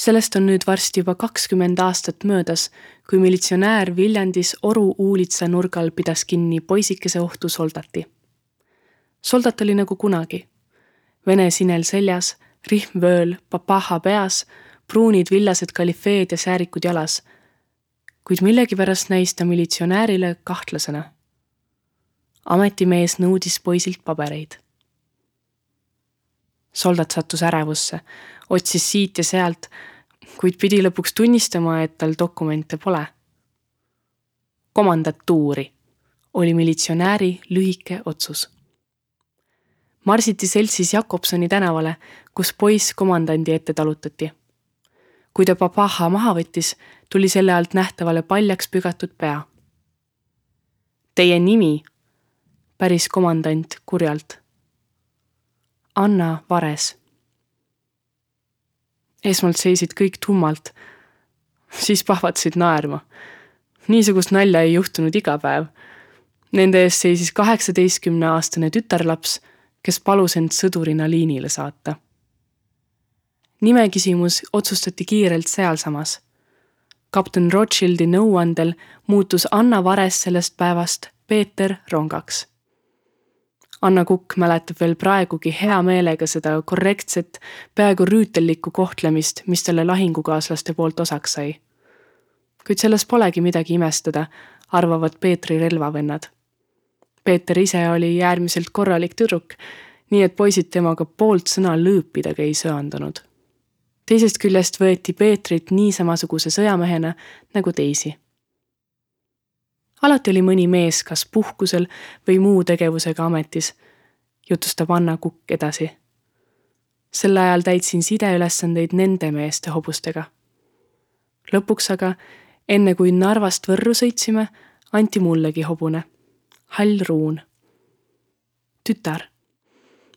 Sellest on nüüd varsti juba 20 aastat möödas, kui militsionäär Viljandis Oru Uulitsa nurgal pidas kinni poisikese ohtu Soldati. Soldat oli nagu kunagi. Vene sinel seljas, rihm vööl, papaha peas, pruunid villased kalifeed ja säärikud jalas, kuid millegipärast näis ta militsionäärile kahtlasena. Ametimees nõudis poisilt pabereid. Soldat sattus ärevusse, otsis siit ja sealt, kuid pidi lõpuks tunnistama, et tal dokumente pole. Komandatuuri oli militsionääri lühike otsus. Marsiti seltsis Jakobsoni tänavale, kus poiss komandandi ette talutati. Kui ta papaha maha võttis, tuli selle alt nähtavale paljaks pügatud pea. Teie nimi, päris komandant kurjalt. Anna Vares. Esmalt seisid kõik tummalt, siis pahvatsid naerma. Niisugust nalja ei juhtunud iga päev. Nende ees seisis 18-aastane tütarlaps, kes palus end sõdurina liinile saata. Nimeküsimus otsustati kiirelt sealsamas. Kapten Rothschildi nõuandel muutus Anna Vares sellest päevast Peeter Rongaks. Anna Kukk mäletab veel praegugi hea meelega seda korrektset, peaaegu rüütellikku kohtlemist, mis talle lahingukaaslaste poolt osaks sai. Kuid selles polegi midagi imestada, arvavad Peetri relvavennad. Peeter ise oli äärmiselt korralik tüdruk, nii et poisid temaga poolt sõna lõõpidagi ei söandunud. Teisest küljest võeti Peetrit nii samasuguse sõjamehena nagu teisi. Alati oli mõni mees kas puhkusel või muu tegevusega ametis, jutustab Anna Kukk edasi. Sel ajal täitsin sideülesandeid nende meeste hobustega. Lõpuks aga, enne kui Narvast Võrru sõitsime, anti mullegi hobune. Hall Ruun. Tütar.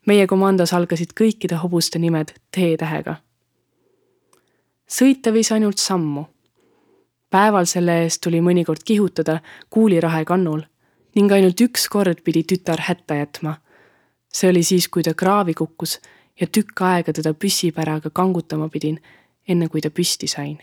Meie komandos algasid kõikide hobuste nimed T-tähega. Sõita võis ainult sammu. Päeval selle eest tuli mõnikord kihutada kuulirahe kannul ning ainult üks kord pidi tütar hätta jätma. See oli siis, kui ta kraavi kukkus ja tükk aega teda püssipäraga kangutama pidin, enne kui ta püsti sain.